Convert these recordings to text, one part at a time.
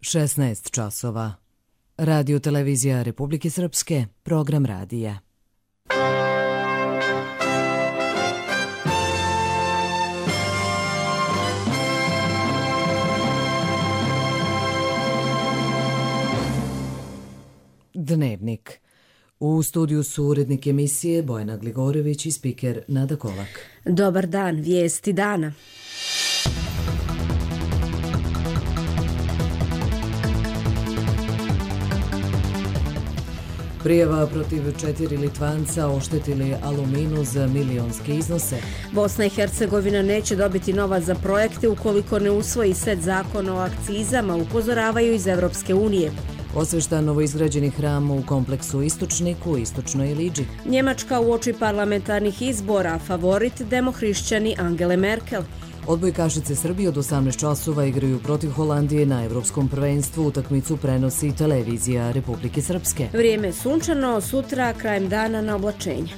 16 časova. Radio televizija Republike Srpske, program radija. Dnevnik. U studiju su urednik emisije Bojana Gligorević i spiker Nada Kolak. Dobar dan, vijesti dana. Prijava protiv 4 Litvanca oštetili Aluminu za milionske iznose. Bosna i Hercegovina neće dobiti novac za projekte ukoliko ne usvoji set zakona o akcizama, upozoravaju iz Evropske unije. Osveštan novoizgrađeni hram u kompleksu Istočniku u Istočnoj Iliđi. Njemačka uoči parlamentarnih izbora, favorit demohrišćani Angele Merkel. Odbojkašice Srbije od 18 časova igraju protiv Holandije na Evropskom prvenstvu. Utakmicu prenosi televizija Republike Srpske. Vrijeme sunčano, sutra krajem dana na oblačenje.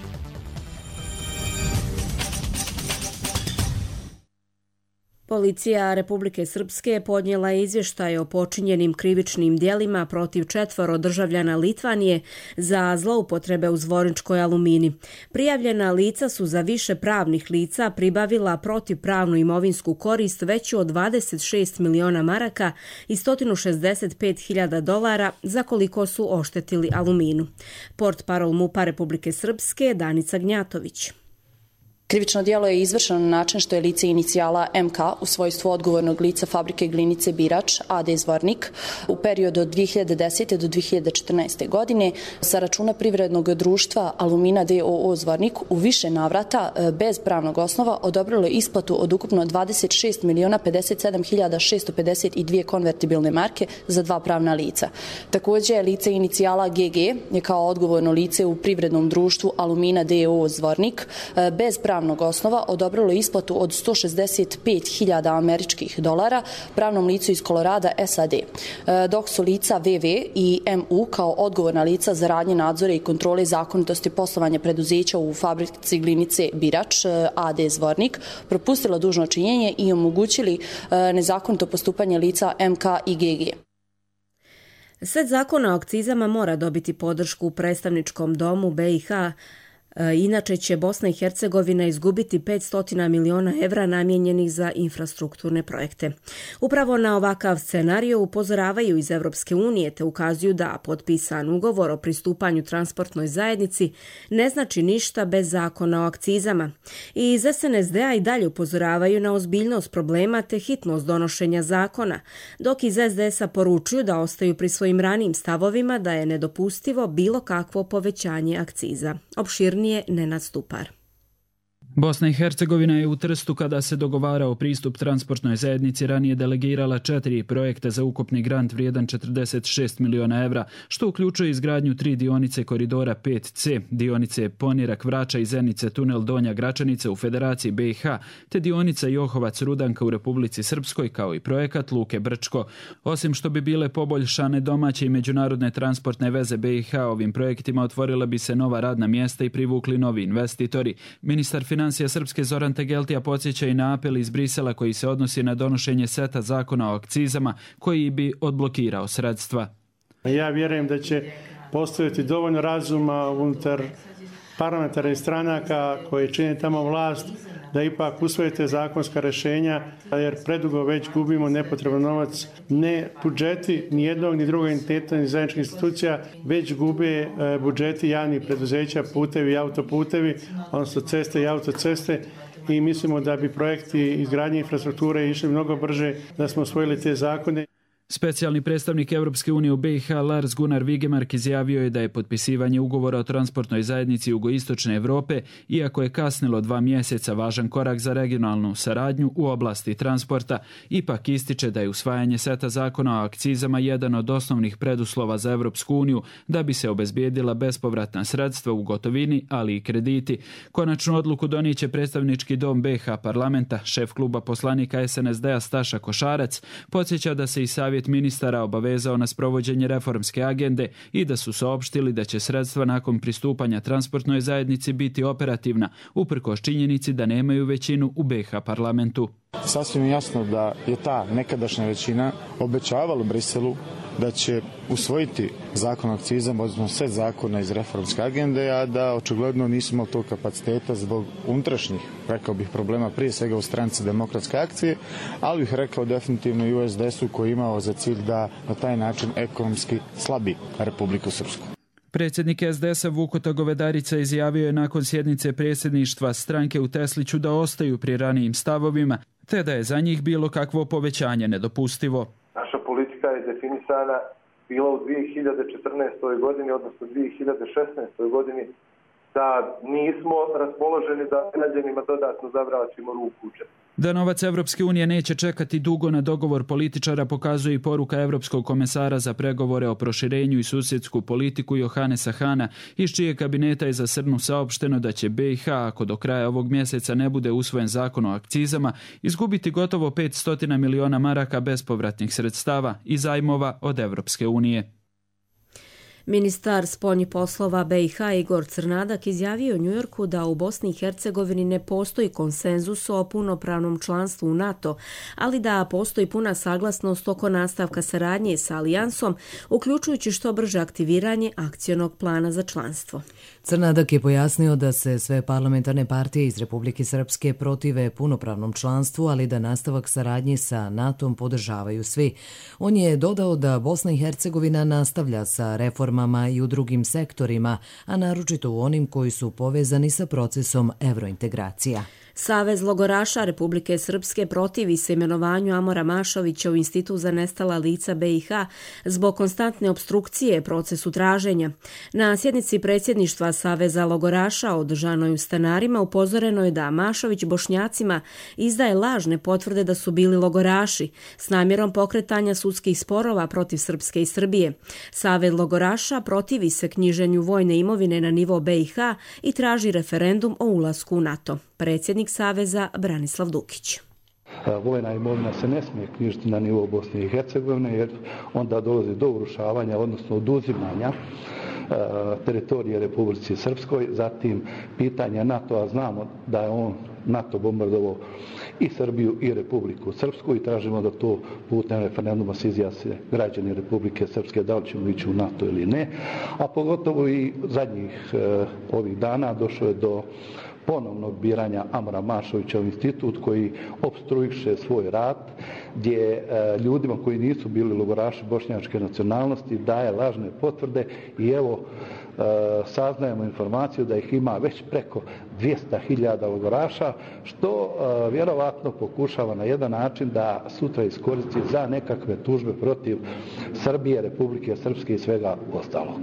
Policija Republike Srpske podnijela izvještaj o počinjenim krivičnim djelima protiv 4 državljana Litvanije za zloupotrebe u Zvorničkoj Alumini. Prijavljena lica su za više pravnih lica pribavila protivpravnu imovinsku korist veću od 26 miliona maraka i 165.000 dolara za koliko su oštetili Aluminu. Portparol MUP-a Republike Srpske Danica Gnjatović. Krivično djelo je izvršeno na način što je lice inicijala MK u svojstvu odgovornog lica fabrike glinice Birač AD Zvornik u periodu od 2010. do 2014. godine sa računa privrednog društva Alumina d.o.o. Zvornik u više navrata bez pravnog osnova odobrilo isplatu od ukupno 26.057.652 konvertibilne marke za 2 pravna lica. Također lice inicijala GG je kao odgovorno lice u privrednom društvu Alumina d.o.o. Zvornik bez pravnog osnova odobrilo isplatu od 165.000 američkih dolara pravnom licu iz Kolorada SAD, dok su lica VV i MU kao odgovorna lica za radnje, nadzore i kontrole zakonitosti poslovanja preduzeća u fabrici glinice Birač AD Zvornik propustila dužno činjenje i omogućili nezakonito postupanje lica MK i GG. Set zakona o akcizama mora dobiti podršku u predstavničkom domu BiH. Inače će Bosna i Hercegovina izgubiti 500 miliona evra namijenjenih za infrastrukturne projekte. Upravo na ovakav scenario upozoravaju iz Evropske unije te ukazuju da potpisan ugovor o pristupanju transportnoj zajednici ne znači ništa bez zakona o akcizama. I iz SNSD-a i dalje upozoravaju na ozbiljnost problema te hitnost donošenja zakona, dok iz SDS-a poručuju da ostaju pri svojim ranijim stavovima da je nedopustivo bilo kakvo povećanje akciza. Opširnije Nenad Stupar. Bosna i Hercegovina je u Trstu, kada se dogovarao pristup transportnoj zajednici, ranije delegirala 4 projekta za ukupni grant vrijedan 46 miliona evra, što uključuje izgradnju 3 dionice koridora 5C, dionice Ponirak-Vrača i Zenice tunel Donja Gračanica u Federaciji BiH, te dionica Johovac-Rudanka u Republici Srpskoj, kao i projekat Luke Brčko. Osim što bi bile poboljšane domaće i međunarodne transportne veze BiH, ovim projektima otvorila bi se nova radna mjesta i privukli novi investitori. Ministar financija Srpske Zoran Tegeltija podsjeća i na apel iz Brisela koji se odnosi na donošenje seta zakona o akcizama koji bi odblokirao sredstva. Ja vjerujem da će postojati dovoljno razuma unutar parlamentarnih stranaka koje čine tamo vlast da ipak usvojite zakonska rješenja, jer predugo već gubimo nepotreban novac. Ne budžeti ni jednog ni drugog entiteta ni zajedničkih institucija, već gube budžeti javnih preduzeća, putevi i autoputevi, odnosno ceste i autoceste. I mislimo da bi projekti izgradnje infrastrukture išli mnogo brže da smo usvojili te zakone. Specijalni predstavnik Evropske unije u BiH Lars Gunnar Vigemark izjavio je da je potpisivanje ugovora o transportnoj zajednici Jugoistočne Evrope, iako je kasnilo 2 mjeseca, važan korak za regionalnu saradnju u oblasti transporta. Ipak ističe da je usvajanje seta zakona o akcizama jedan od osnovnih preduslova za Evropsku uniju da bi se obezbijedila bespovratna sredstva u gotovini, ali i krediti. Konačnu odluku donijet će predstavnički dom BiH parlamenta. Šef kluba poslanika SNSD-a Staša Košarac podsjeća da se i savjet savjet ministara obavezao na sprovođenje reformske agende i da su saopštili da će sredstva nakon pristupanja transportnoj zajednici biti operativna, uprkos činjenici da nemaju većinu u BiH parlamentu. Sasvim je jasno da je ta nekadašnja većina obećavala Briselu da će usvojiti zakon o akcizama, odnosno sve zakone iz reformske agende, a da očigledno nismo imali tog kapaciteta zbog unutrašnjih, rekao bih, problema, prije svega u stranci Demokratske akcije, ali bih rekao definitivno i u SDS-u koji je imao za cilj da na taj način ekonomski slabi Republiku Srpsku. Predsjednik SDS-a Vukoto Govedarica izjavio je nakon sjednice predsjedništva stranke u Tesliću da ostaju pri ranijim stavovima, te da je za njih bilo kakvo povećanje nedopustivo. Naša politika je definisana bila u 2014. godini, odnosno 2016. godini, da nismo raspoloženi da građanima dodatno zavraćimo ruku u džep. Da novac Evropske unije neće čekati dugo na dogovor političara pokazuje i poruka Evropskog komesara za pregovore o proširenju i susjedsku politiku Johannesa Hana, iz čije kabineta je za srpnju saopšteno da će BiH, ako do kraja ovog mjeseca ne bude usvojen zakon o akcizama, izgubiti gotovo 500 miliona maraka bespovratnih sredstava i zajmova od Evropske unije. Ministar spoljnih poslova BiH Igor Crnadak izjavio u Njujorku da u Bosni i Hercegovini ne postoji konsenzus o punopravnom članstvu u NATO, ali da postoji puna saglasnost oko nastavka saradnje sa alijansom, uključujući što brže aktiviranje akcionog plana za članstvo. Crnadak je pojasnio da se sve parlamentarne partije iz Republike Srpske protive punopravnom članstvu, ali da nastavak saradnje sa NATO-om podržavaju svi. On je dodao da Bosna i Hercegovina nastavlja sa reformama i u drugim sektorima, a naročito u onim koji su povezani sa procesom evrointegracija. Savez logoraša Republike Srpske protivi se imenovanju Amora Mašovića u Institut za nestala lica BiH zbog konstantne opstrukcije procesu traženja. Na sjednici predsjedništva Saveza logoraša održanoj u Stanarima upozoreno je da Mašović Bošnjacima izdaje lažne potvrde da su bili logoraši s namjerom pokretanja sudskih sporova protiv Srpske i Srbije. Savez logoraša protivi se knjiženju vojne imovine na nivo BiH i traži referendum o ulasku u NATO. Predsjednik Saveza Branislav Dukić. Vojna imovina se ne smije knjižiti na nivou Bosne i Hercegovine jer onda dolazi do urušavanja, odnosno oduzimanja teritorije Republici Srpskoj. Zatim pitanje NATO-a, znamo da je on NATO bombardovao i Srbiju i Republiku Srpsku i tražimo da to putem referenduma se izjasne građani Republike Srpske da li ćemo ići u NATO ili ne, a pogotovo i zadnjih ovih dana došlo je do ponovnog biranja Amora Mašovića u institut koji opstruiše svoj rad, gdje ljudima koji nisu bili logoraši bošnjačke nacionalnosti daje lažne potvrde i evo saznajemo informaciju da ih ima već preko 200.000 logoraša, što vjerovatno pokušava na jedan način da sutra iskoristi za nekakve tužbe protiv Srbije, Republike Srpske i svega ostalog.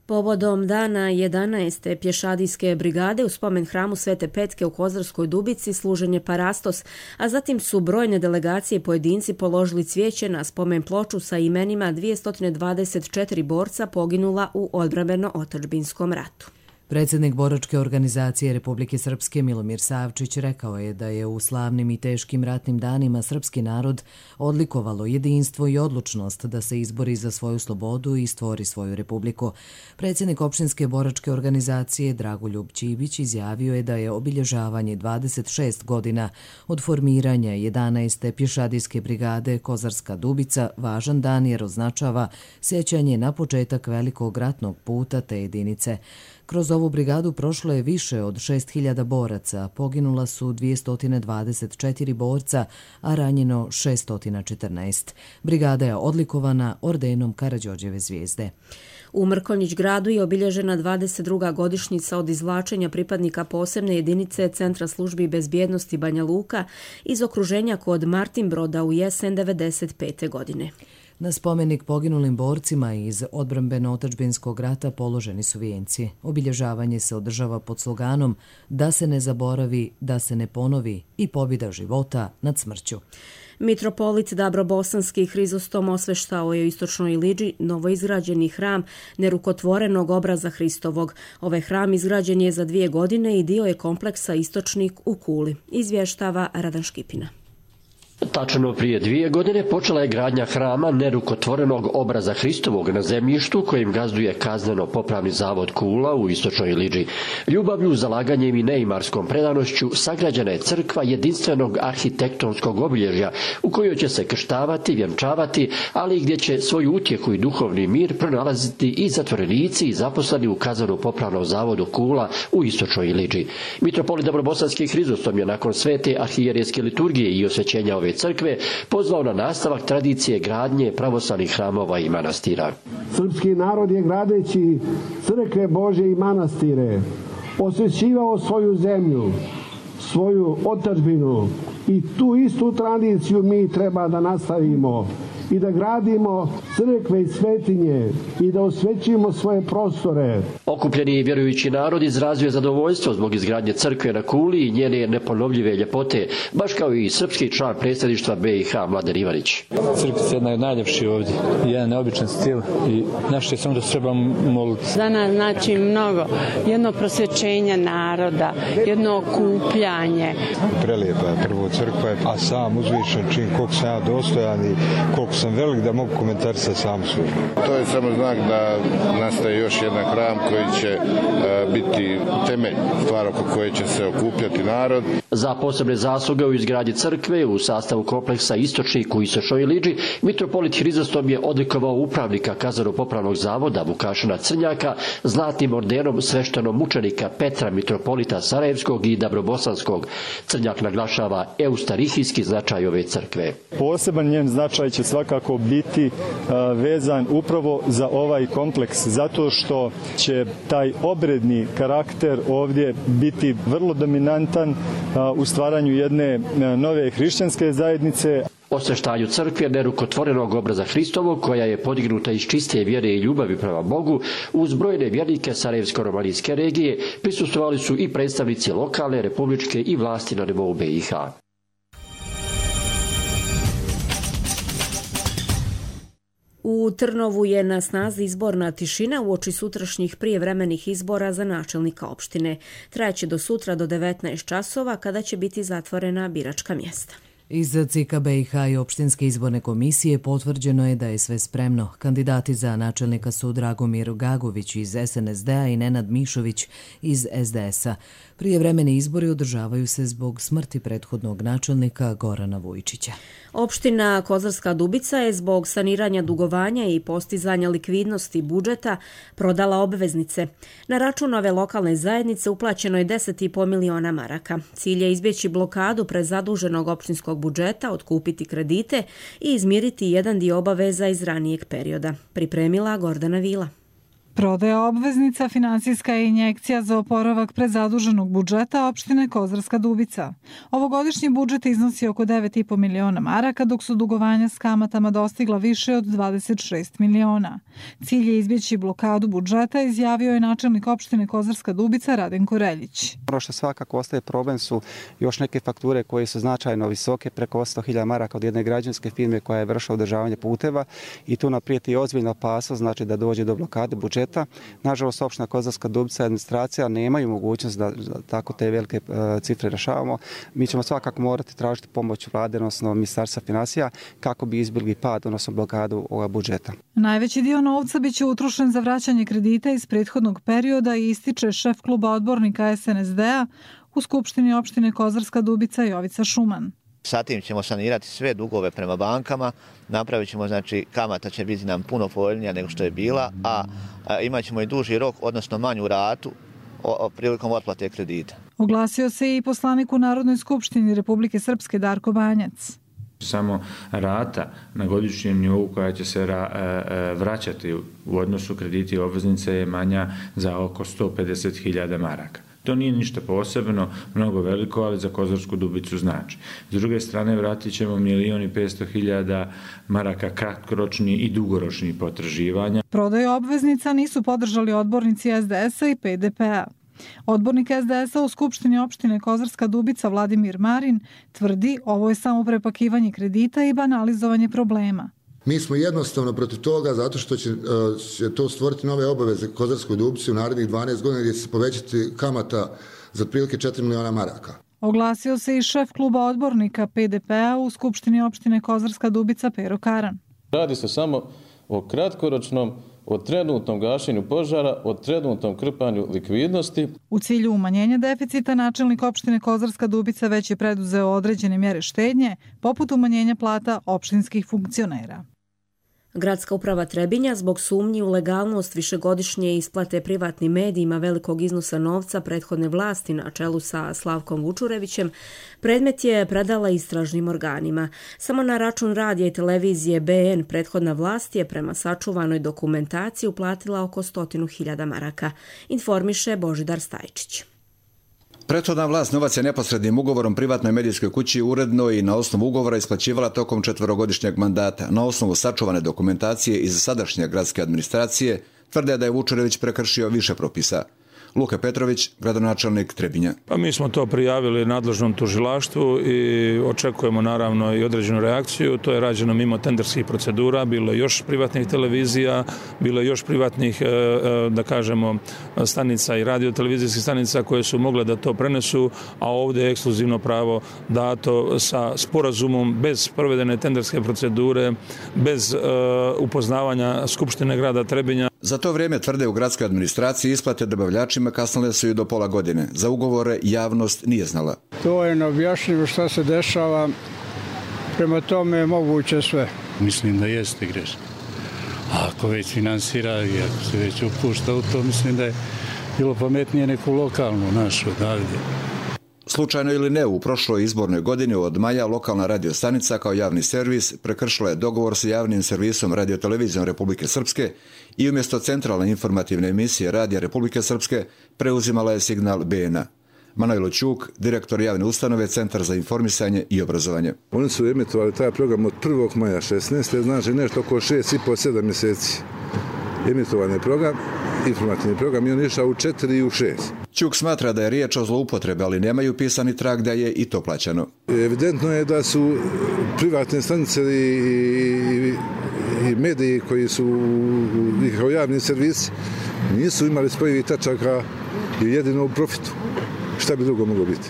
Povodom dana 11. pješadijske brigade u spomen hramu Svete Petke u Kozarskoj Dubici služen je parastos, a zatim su brojne delegacije i pojedinci položili cvijeće na spomen ploču sa imenima 224 borca poginula u odbrambeno-otadžbinskom ratu. Predsjednik boračke organizacije Republike Srpske Milomir Savčić rekao je da je u slavnim i teškim ratnim danima srpski narod odlikovalo jedinstvo i odlučnost da se izbori za svoju slobodu i stvori svoju republiku. Predsjednik opštinske boračke organizacije Dragoljub Ćibić izjavio je da je obilježavanje 26 godina od formiranja 11. pješadijske brigade Kozarska Dubica važan dan jer označava sjećanje na početak velikog ratnog puta te jedinice. Kroz ovu brigadu prošlo je više od 6.000 boraca, poginula su 224 borca, a ranjeno 614. Brigada je odlikovana ordenom Karađorđeve zvijezde. U Mrkonjić gradu je obilježena 22. godišnjica od izvlačenja pripadnika posebne jedinice Centra službi bezbjednosti Banja Luka iz okruženja kod Martinbroda u jesen 1995. godine. Na spomenik poginulim borcima iz odbrambeno-otadžbinskog rata položeni su vijenci. Obilježavanje se održava pod sloganom da se ne zaboravi, da se ne ponovi i pobjeda života nad smrću. Mitropolit Dabrobosanski Hrizostom osveštao je u istočnoj Iliđi novoizgrađeni hram nerukotvorenog obraza Hristovog. Ovaj hram izgrađen je za 2 godine i dio je kompleksa Istočnik u Kuli, izvještava Radan Škipina. Tačno prije 2 godine počela je gradnja hrama nerukotvorenog obraza Hristovog na zemljištu kojim gazduje kazneno-popravni zavod Kula u istočnoj Iliđi. Ljubavlju, zalaganjem i neimarskom predanošću sagrađena je crkva jedinstvenog arhitektonskog obilježja u kojoj će se krštavati, vjenčavati, ali i gdje će svoju utjehu i duhovni mir pronalaziti i zatvorenici i zaposleni u kazneno-popravnom zavodu Kula u istočnoj Iliđi. Mitropolit Dobrobosanski Hrizostom je nakon svete arhijerejske liturgije i osvećenja ove crkve pozvao na nastavak tradicije gradnje pravoslavnih hramova i manastira. Srpski narod je gradeći crkve Božje i manastire osvećivao svoju zemlju, svoju otadžbinu i tu istu tradiciju mi treba da nastavimo i da gradimo crkve i svetinje i da osvećimo svoje prostore. Okupljeni vjerujući narod izrazio je zadovoljstvo zbog izgradnje crkve na Kuli i njene neponovljive ljepote, baš kao i srpski član predsjedništva BiH Mladen Ivanić. Crkvica je jedna od najljepših ovdje, jedan neobičan stil i naše samo da se trebamo moliti. Za nas znači mnogo, jedno prosvećenje naroda, jedno okupljanje. Prelijepa je prvo crkva, a sam uzvišen čin koliko sam ja dostojan i koliko sam velik da mogu komentarisati sam svoj. To je samo znak da nastaje još jedan hram koji će biti temelj, stvar oko koje će se okupljati narod. Za posebne zasluge u izgradnji crkve u sastavu kompleksa Istočnik u istočnoj Iliđi, mitropolit Hrizostom je odlikovao upravnika kazneno-popravnog zavoda Vukašina Crnjaka zlatnim ordenom sveštenog mučenika Petra mitropolita Sarajevskog i Dabrobosanskog. Crnjak naglašava eustarihijski značaj ove crkve. Poseban njen značaj će svakako biti vezan upravo za ovaj kompleks, zato što će taj obredni karakter ovdje biti vrlo dominantan u stvaranju jedne nove hrišćanske zajednice. Osveštanju crkve nerukotvorenog obraza Hristovog, koja je podignuta iz čiste vjere i ljubavi prema Bogu, uz brojne vjernike Sarajevsko-romanijske regije prisustvovali su i predstavnici lokalne, republičke i vlasti na nivou BiH. U Trnovu je na snazi izborna tišina uoči sutrašnjih prijevremenih izbora za načelnika opštine. Trajaće do sutra do 19 časova kada će biti zatvorena biračka mjesta. Iz CIK BiH i opštinske izborne komisije potvrđeno je da je sve spremno. Kandidati za načelnika su Dragomir Gagović iz SNSD-a i Nenad Mišović iz SDS-a. Prijevremeni izbori održavaju se zbog smrti prethodnog načelnika Gorana Vujčića. Opština Kozarska Dubica je zbog saniranja dugovanja i postizanja likvidnosti budžeta prodala obveznice. Na račun ove lokalne zajednice uplaćeno je 10,5 miliona maraka. Cilj je izbjeći blokadu prezaduženog opštinskog budžeta, otkupiti kredite i izmiriti jedan dio obaveza iz ranijeg perioda. Pripremila Gordana Vila. Prodaja obveznica finansijska je injekcija za oporavak prezaduženog budžeta opštine Kozarska Dubica. Ovogodišnji budžet iznosi oko 9,5 miliona maraka, dok su dugovanja s kamatama dostigla više od 26 miliona. Cilj je izbjeći blokadu budžeta, izjavio je načelnik opštine Kozarska Dubica Radenko Reljić. Ono što svakako ostaje problem su još neke fakture koje su značajno visoke, preko 100.000 maraka od jedne građanske firme koja je vršila održavanje puteva i tu nam prijeti ozbiljna opasnost, znači da dođe do blokade budžeta. Nažalost, opština Kozarska Dubica i administracija nemaju mogućnost da tako te velike cifre rešavamo. Mi ćemo svakako morati tražiti pomoć vlade, odnosno ministarstva finansija, kako bi izbjegli pad, odnosno blokadu ovog budžeta. Najveći dio novca biće utrošen za vraćanje kredita iz prethodnog perioda i ističe šef kluba odbornika SNSD-a u Skupštini opštine Kozarska Dubica Jovica Šuman. Sa tim ćemo sanirati sve dugove prema bankama, napravit ćemo, znači kamata će biti nam puno povoljnija nego što je bila, a imat ćemo i duži rok, odnosno manju ratu prilikom otplate kredita. Oglasio se i poslanik u Narodnoj skupštini Republike Srpske Darko Banjac. Samo rata na godišnjem nivou koja će se vraćati u odnosu krediti i obveznice je manja za oko 150.000 maraka. To nije ništa posebno, mnogo veliko, ali za Kozarsku Dubicu znači. S druge strane, vratit ćemo 1.500.000 maraka kratkoročni i dugoročni potraživanja. Prodaju obveznica nisu podržali odbornici SDS-a i PDP-a. Odbornik SDS-a u Skupštini opštine Kozarska Dubica Vladimir Marin tvrdi ovo je samo prepakivanje kredita i banalizovanje problema. Mi smo jednostavno protiv toga zato što će to stvoriti nove obaveze Kozarskoj Dubici u narednih 12 godina gdje će se povećati kamata za otprilike 4 miliona maraka. Oglasio se i šef kluba odbornika PDP-a u Skupštini opštine Kozarska Dubica Pero Karan. Radi se samo o kratkoročnom, o trenutnom gašenju požara, o trenutnom krpanju likvidnosti. U cilju umanjenja deficita načelnik opštine Kozarska Dubica već je preduzeo određene mjere štednje, poput umanjenja plata opštinskih funkcionera. Gradska uprava Trebinja zbog sumnji u legalnost višegodišnje isplate privatnim medijima velikog iznosa novca prethodne vlasti na čelu sa Slavkom Vučurevićem predmet je predala istražnim organima. Samo na račun radija i televizije BN prethodna vlast je prema sačuvanoj dokumentaciji uplatila oko 100.000 maraka, informiše Božidar Stajčić. Prethodna vlast novac je neposrednim ugovorom privatnoj medijskoj kući uredno i na osnovu ugovora isplaćivala tokom 4-godišnjeg mandata. Na osnovu sačuvane dokumentacije iz sadašnje gradske administracije tvrde da je Vučurević prekršio više propisa. Luka Petrović, gradonačelnik Trebinja. Pa mi smo to prijavili nadležnom tužilaštvu i očekujemo naravno i određenu reakciju. To je rađeno mimo tenderskih procedura, bilo je još privatnih televizija, bilo je još privatnih, da kažemo, stanica i radiotelevizijskih stanica koje su mogle da to prenesu, a ovdje je ekskluzivno pravo dato sa sporazumom bez provedene tenderske procedure, bez upoznavanja Skupštine grada Trebinja. Za to vrijeme, tvrde u gradskoj administraciji, isplate dobavljačima kasnile su i do pola godine. Za ugovore javnost nije znala. To je neobjašnjivo što se dešava, prema tome je moguće sve. Mislim da jeste grešno. A ako već finansira i ako se već upušta u to, mislim da je bilo pametnije neku lokalnu našu odavdje. Slučajno ili ne, u prošloj izbornoj godini od maja lokalna radiostanica kao javni servis prekršila je dogovor sa javnim servisom radiotelevizijom Republike Srpske i umjesto centralne informativne emisije Radija Republike Srpske preuzimala je signal BN-a. Manojlo Ćuk, direktor javne ustanove Centar za informisanje i obrazovanje. Oni su emitovali taj program od 1. maja 16. znači nešto oko 6,5-7 mjeseci. Emitovan je program, informativni program i on išao u 4 i u 6. Ćuk smatra da je riječ o zloupotrebi, ali nemaju pisani trag da je i to plaćano. Evidentno je da su privatne stanice i mediji koji su kao javni servis nisu imali spojivih tačaka i jedino u profitu. Šta bi drugo moglo biti?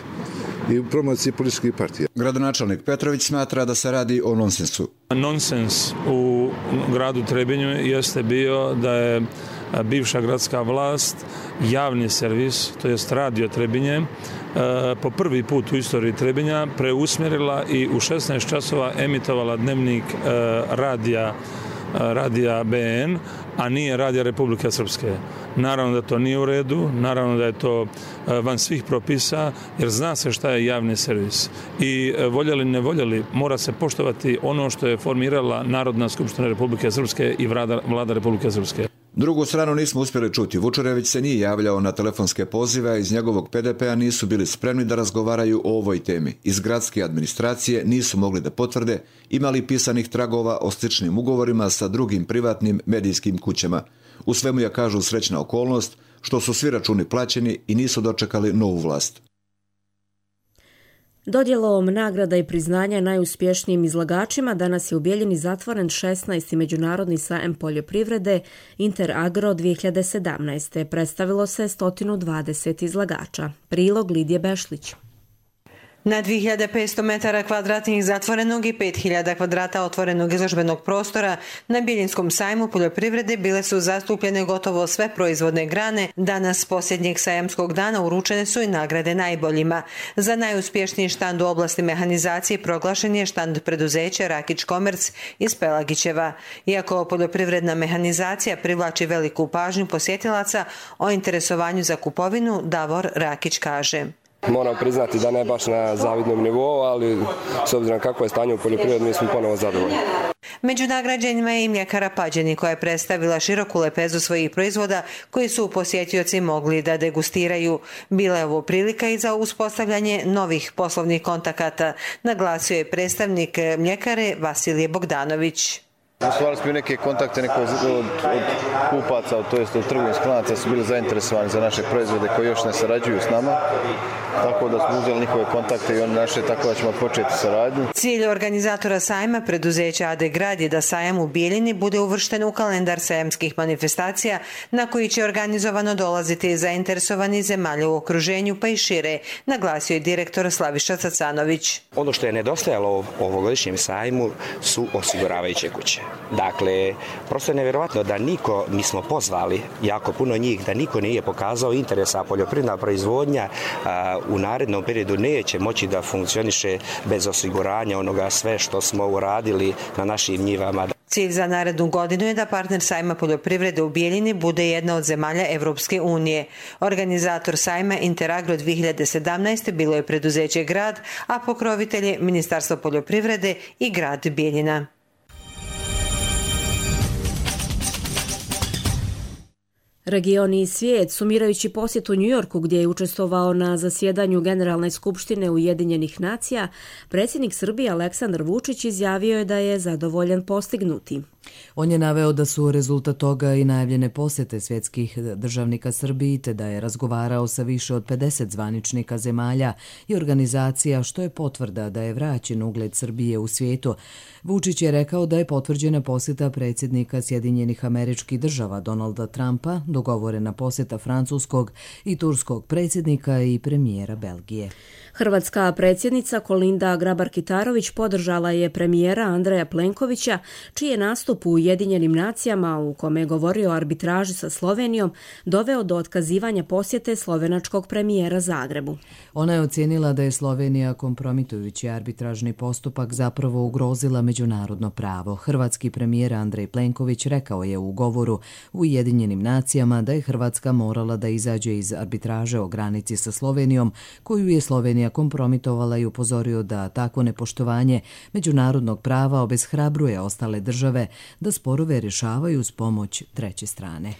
I u promociji političkih partija. Gradonačelnik Petrović smatra da se radi o nonsensu. Nonsens u gradu Trebinju jeste bio da je bivša gradska vlast javni servis, to jest Radio Trebinje, po prvi put u istoriji Trebinja preusmjerila i u 16 časova emitovala dnevnik radija BN, a nije Radija Republike Srpske. Naravno da to nije u redu, naravno da je to van svih propisa, jer zna se šta je javni servis. I voljeli ne voljeli, mora se poštovati ono što je formirala Narodna skupština Republike Srpske i vlada Republike Srpske. Drugu stranu nismo uspjeli čuti. Vučurević se nije javljao na telefonske pozive, a iz njegovog PDP-a nisu bili spremni da razgovaraju o ovoj temi. Iz gradske administracije nisu mogli da potvrde imali pisanih tragova o sličnim ugovorima sa drugim privatnim medijskim kućama. U svemu je, kažu, srećna okolnost što su svi računi plaćeni i nisu dočekali novu vlast. Dodjelom nagrada i priznanja najuspješnijim izlagačima danas je u Bijeljini zatvoren 16. međunarodni sajam poljoprivrede Interagro 2017. Predstavilo se 120 izlagača. Prilog Lidije Bešlić. Na 2500 metara kvadratnih zatvorenog i 5000 kvadrata otvorenog izložbenog prostora na Biljinskom sajmu poljoprivrede bile su zastupljene gotovo sve proizvodne grane. Danas, posljednjeg sajamskog dana, uručene su i nagrade najboljima. Za najuspješniji štand u oblasti mehanizacije proglašen je štand preduzeća Rakić Komerc iz Pelagićeva. Iako poljoprivredna mehanizacija privlači veliku pažnju posjetilaca, o interesovanju za kupovinu Davor Rakić kaže: Moram priznati da ne baš na zavidnom nivou, ali s obzirom kako je stanje u poljoprivredi, mi smo ponovo zadovoljni. Među nagrađenjima je i mljekara Pađeni, koja je predstavila široku lepezu svojih proizvoda koji su posjetioci mogli da degustiraju. Bila je ovo prilika i za uspostavljanje novih poslovnih kontakata, naglasio je predstavnik mljekare Vasilije Bogdanović. Osnovali smo i neke kontakte, neko od kupaca, to jest od trgovinskih lanaca su bili zainteresovani za naše proizvode koji još ne sarađuju s nama, tako da smo uzeli njihove kontakte i oni naše, tako da ćemo početi saradnju. Cilj organizatora sajma, preduzeća AD Grad, je da sajam u Bijeljini bude uvršten u kalendar sajamskih manifestacija na koji će organizovano dolaziti zainteresovani zemalja u okruženju pa i šire, naglasio je direktor Slaviša Cacanović. Ono što je nedostajalo ovogodišnjem sajmu su osiguravajuće kuće. Dakle, prosto je nevjerovatno da niko, mi smo pozvali jako puno njih, da niko nije pokazao interesa, poljoprivredna proizvodnja u narednom periodu neće moći da funkcioniše bez osiguranja onoga sve što smo uradili na našim njivama. Cilj za narednu godinu je da partner sajma poljoprivrede u Bijeljini bude jedna od zemalja Evropske unije. Organizator sajma Interagro 2017 bilo je preduzeće Grad, a pokrovitelj je Ministarstvo poljoprivrede i grad Bijeljina. Region i svijet, sumirajući posjet u Njujorku gdje je učestvovao na zasjedanju Generalne skupštine Ujedinjenih nacija, predsjednik Srbije Aleksandar Vučić izjavio je da je zadovoljan postignuti. On je naveo da su rezultat toga i najavljene posjete svjetskih državnika Srbiji, te da je razgovarao sa više od 50 zvaničnika zemalja i organizacija, što je potvrda da je vraćen ugled Srbije u svijetu. Vučić je rekao da je potvrđena posjeta predsjednika Sjedinjenih Američkih Država Donalda Trumpa, dogovorena posjeta francuskog i turskog predsjednika i premijera Belgije. Hrvatska predsjednica Kolinda Grabar-Kitarović podržala je premijera Andreja Plenkovića, čiji je nastup u Ujedinjenim nacijama, u kome je govorio o arbitraži sa Slovenijom, doveo do otkazivanja posjete slovenačkog premijera Zagrebu. Ona je ocijenila da je Slovenija kompromitujući arbitražni postupak zapravo ugrozila međunarodno pravo. Hrvatski premijer Andrej Plenković rekao je u govoru u Ujedinjenim nacijama da je Hrvatska morala da izađe iz arbitraže o granici sa Slovenijom, koju je Slovenija kompromitovala i upozorio da takvo nepoštovanje međunarodnog prava obeshrabruje ostale države da sporove rješavaju s pomoć treće strane.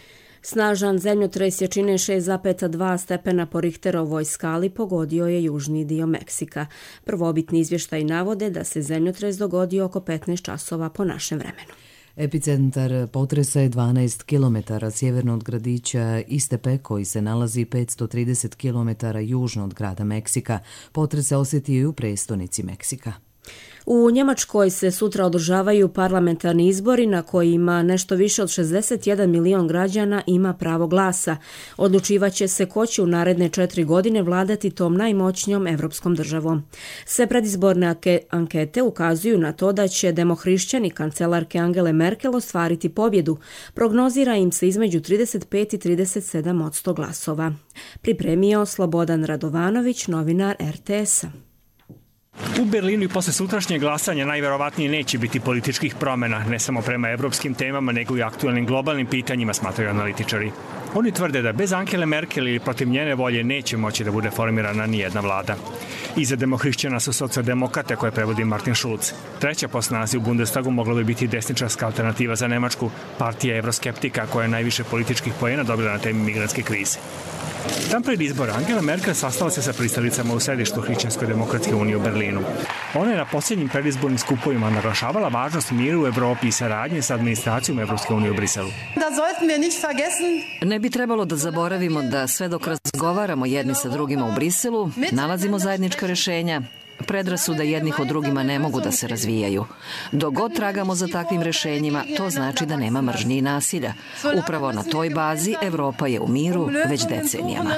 Snažan zemljotres jačine 6,2 stepena po Richterovoj skali pogodio je južni dio Meksika. Prvobitni izvještaj navode da se zemljotres dogodio oko 15 časova po našem vremenu. Epicentar potresa je 12 km sjeverno od gradića Istepe, koji se nalazi 530 km južno od grada Meksika. Potres se osjetio i u prestonici Meksika. U Njemačkoj se sutra održavaju parlamentarni izbori na kojima nešto više od 61 milion građana ima pravo glasa. Odlučivaće se ko će u naredne 4 godine vladati tom najmoćnijom evropskom državom. Sve predizborne ankete ukazuju na to da će demohrišćani kancelarke Angele Merkel ostvariti pobjedu. Prognozira im se između 35 i 37% glasova. Pripremio Slobodan Radovanović, novinar RTS-a. U Berlinu i posle sutrašnjeg glasanja najverovatnije neće biti političkih promjena, ne samo prema evropskim temama, nego i aktualnim globalnim pitanjima, smatraju analitičari. Oni tvrde da bez Angele Merkel ili protiv njene volje neće moći da bude formirana nijedna vlada. Iza demohrišćana su socijaldemokrate koje prevodi Martin Schulz. Treća po snazi u Bundestagu mogla bi biti desničarska alternativa za Nemačku, partija evroskeptika koja je najviše političkih poena dobila na temi migrantske krize. Dan pred izbora Angela Merkel sastala se sa pristalicama u sedištu Hrišćansko-demokratske unije u Berlinu. Ona je na posljednjim predizbornim skupovima naglašavala važnost mira u Evropi i saradnje sa administracijom Evropske unije u Briselu. Ne bi trebalo da zaboravimo da sve dok razgovaramo jedni sa drugima u Briselu, nalazimo zajednička rješenja. Predrasude jednih od drugima ne mogu da se razvijaju. Dok god tragamo za takvim rješenjima, to znači da nema mržnje i nasilja. Upravo na toj bazi Evropa je u miru već decenijama.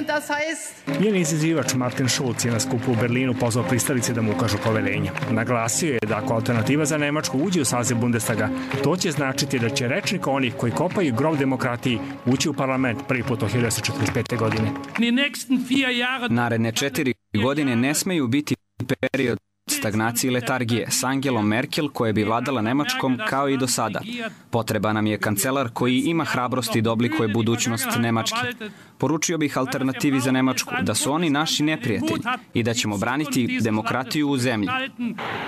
Njen izazivač Martin Schulz je na skupu u Berlinu pozvao pristalice da mu ukažu poverenje. Naglasio je da ako alternativa za Nemačku uđe u saziv Bundestaga, to će značiti da će rečnik onih koji kopaju grob demokratiji ući u parlament prvi put od 1945. godine. Naredne 4 godine ne smeju biti period stagnacije i letargije s Angelom Merkel koja bi vladala Nemačkom kao i do sada. Potreba nam je kancelar koji ima hrabrosti da oblikuje budućnost Nemačke. Poručio bih alternativi za Nemačku da su oni naši neprijatelji i da ćemo braniti demokratiju u zemlji.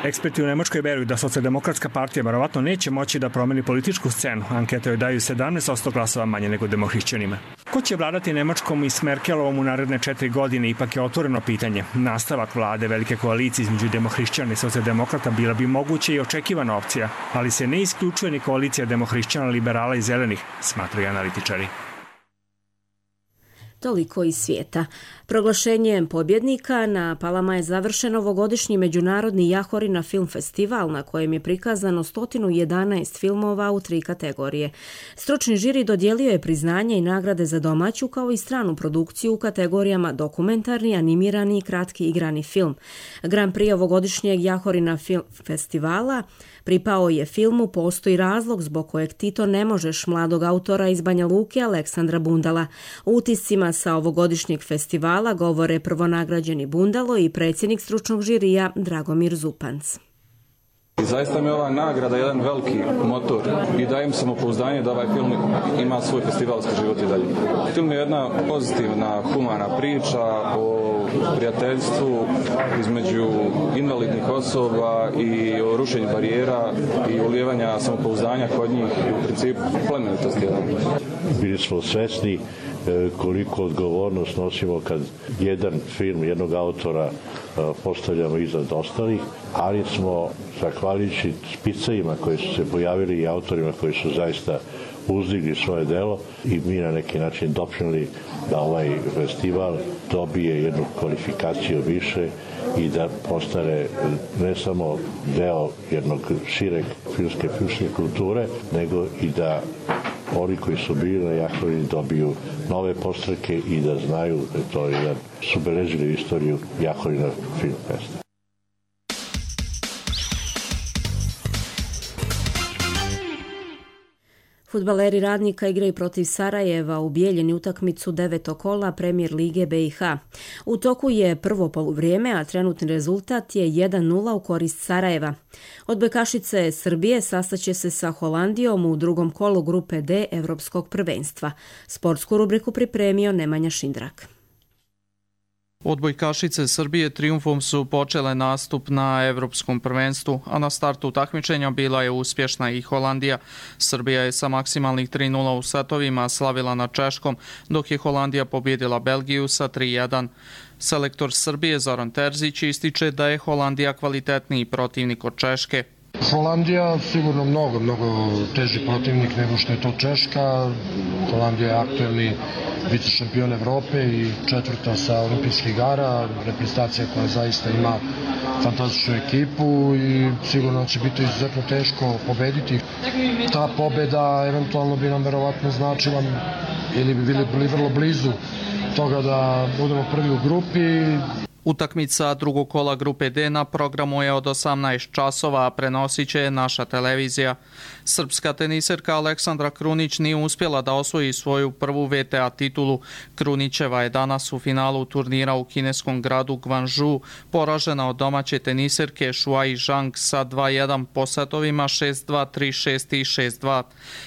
Eksperti u Nemačkoj veruju da socijaldemokratska partija verovatno neće moći da promeni političku scenu. Ankete joj daju 17% glasova manje nego demohrišćanima. Ko će vladati Nemačkom i s Merkelovom u naredne 4 godine ipak je otvoreno pitanje. Nastavak vlade velike koalicije između demohrišćana i socijaldemokrata bila bi moguća i očekivana opcija, ali se ne isključuje ni koalicija demohrišćana, liberala i zelenih, smatraju analitičari. Toliko iz svijeta. Proglašenjem pobjednika na Palama je završen ovogodišnji međunarodni Jahorina film festival na kojem je prikazano 111 filmova u 3 kategorije. Stručni žiri dodijelio je priznanje i nagrade za domaću kao i stranu produkciju u kategorijama dokumentarni, animirani i kratki igrani film. Grand Prix ovogodišnjeg Jahorina film festivala pripao je filmu Postoji razlog zbog kojeg ti to ne možeš mladog autora iz Banja Luke Aleksandra Bundala. U utiscima sa ovogodišnjeg festivala govore prvonagrađeni Bundalo i predsjednik stručnog žirija Dragomir Zupanc. I zaista mi je ova nagrada jedan veliki motor i dajem samopouzdanje da ovaj film ima svoj festivalski život i dalje. Film je jedna pozitivna, humana priča o prijateljstvu između invalidnih osoba i o rušenju barijera i ulijevanja samopouzdanja kod njih i u principu plemenitosti. Bili smo svesni koliko odgovornost nosimo kad jedan film jednog autora postavljamo iznad ostalih, ali smo, zahvaljujući spicajima koji su se pojavili i autorima koji su zaista uzdigli svoje delo i mi na neki način doprinijeli da ovaj festival dobije jednu kvalifikaciju više i da postane ne samo deo jednog šireg filmske kulture, nego i da oni koji su bili na Jahorini dobiju nove postreke i da znaju da je to jedan su beležili istoriju Jahorina Film Festa. Fudbaleri Radnika igraju protiv Sarajeva u Bijeljini utakmicu 9. kola Premijer lige BiH. U toku je prvo poluvrijeme, a trenutni rezultat je 1:0 u korist Sarajeva. Odbojkašice Srbije sastaće se sa Holandijom u drugom kolu grupe D Evropskog prvenstva. Sportsku rubriku pripremio Nemanja Šindrak. Odbojkašice Srbije trijumfom su počele nastup na Evropskom prvenstvu, a na startu takmičenja bila je uspješna i Holandija. Srbija je sa maksimalnih 3:0 u setovima slavila nad Češkom, dok je Holandija pobjedila Belgiju sa 3:1. Selektor Srbije Zoran Terzić ističe da je Holandija kvalitetniji protivnik od Češke. Holandija sigurno mnogo teži protivnik nego što je to Češka. Holandija je aktuelni vicešampion Evrope i 4. sa olimpijskih igara, reprezentacija koja zaista ima fantastičnu ekipu i sigurno će biti izuzetno teško pobediti. Ta pobeda eventualno bi nam verovatno značila ili bi bili vrlo blizu toga da budemo prvi u grupi. Utakmica drugog kola grupe D na programu je od 18 časova, a prenosit će naša televizija. Srpska teniserka Aleksandra Krunić nije uspjela da osvoji svoju prvu VTA titulu. Krunićeva je danas u finalu turnira u kineskom gradu Guangzhou poražena od domaće teniserke Shuai Zhang sa 2:1 po setovima 6:2, 3:6 i 6:2.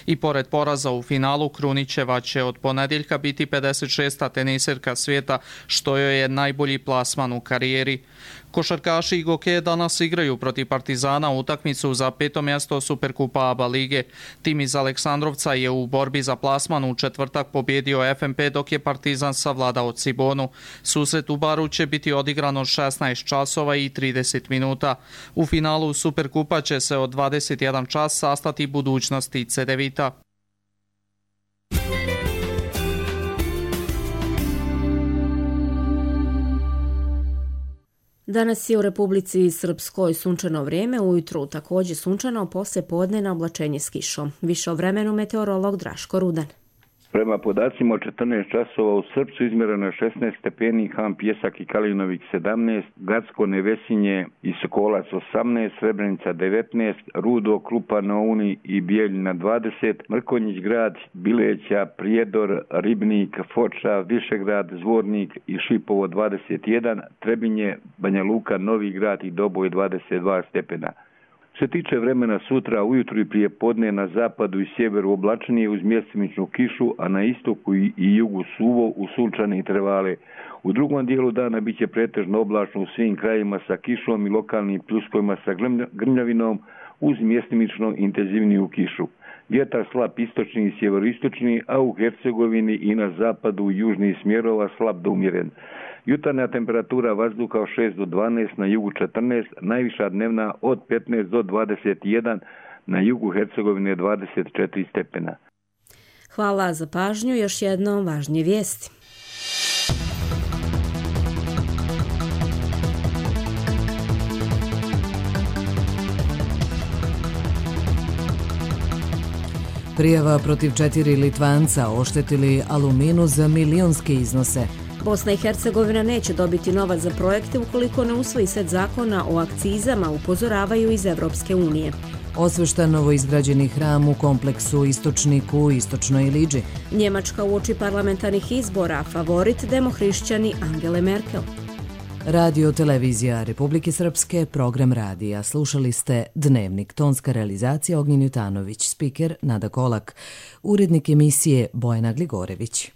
I pored poraza u finalu, Krunićeva će od ponedjeljka biti 56. teniserka svijeta, što joj je najbolji plasman u karijeri. Košarkaši Igoke danas igraju protiv Partizana utakmicu za 5. mjesto Superkupa ABA lige. Tim iz Aleksandrovca je u borbi za plasman u četvrtak pobjedio FNP, dok je Partizan savladao Cibonu. Susret u Baru će biti odigran od 16 časova i 30 minuta. U finalu Superkupa će se od 21 čas sastati budućnosti Cedevita. Danas je u Republici Srpskoj sunčano vrijeme, ujutru također sunčano, poslije podne oblačenje s kišom. Više o vremenu meteorolog Draško Rudan. Prema podacima od 14 časova u Srpcu izmjereno je 16 stepeni, Ham Pjesak i Kalinovik 17, Gacko, Nevesinje i Sokolac 18, Srebrenica 19, Rudo, Krupa na Uni i Bijeljina 20, Mrkonjić grad, Bileća, Prijedor, Ribnik, Foča, Višegrad, Zvornik i Šipovo 21, Trebinje, Banja Luka, Novi grad i Doboj 22 stepena. Što se tiče vremena sutra, ujutru i prije podne na zapadu i sjeveru oblačenije uz mjestimičnu kišu, a na istoku i jugu suvo u sunčane intervale. U drugom dijelu dana bit će pretežno oblačno u svim krajevima sa kišom i lokalnim pljuskovima sa grmljavinom uz mjestimično intenzivniju kišu. vjetar slab istočni i sjeveroistočni, a u Hercegovini i na zapadu južnih smjerova slab do umjeren. Jutarnja temperatura vazduha od 6 do 12, na jugu 14, najviša dnevna od 15 do 21, na jugu Hercegovine 24 stepena. Hvala za pažnju, još jednom važnije vijesti. Prijava protiv 4 Litvanca oštetili Aluminu za milionske iznose. Bosna i Hercegovina neće dobiti novac za projekte ukoliko ne usvoji set zakona o akcizama, upozoravaju iz Evropske unije. Osveštan novoizgrađeni hram u kompleksu Istočniku u Istočnoj Iliđi. Njemačka uoči parlamentarnih izbora, favorit demohrišćani Angele Merkel. Radio Televizija Republike Srpske, program radija. Slušali ste Dnevnik, tonska realizacija Ognjen Jutanović, spiker Nada Kolak, urednik emisije Bojana Gligorević.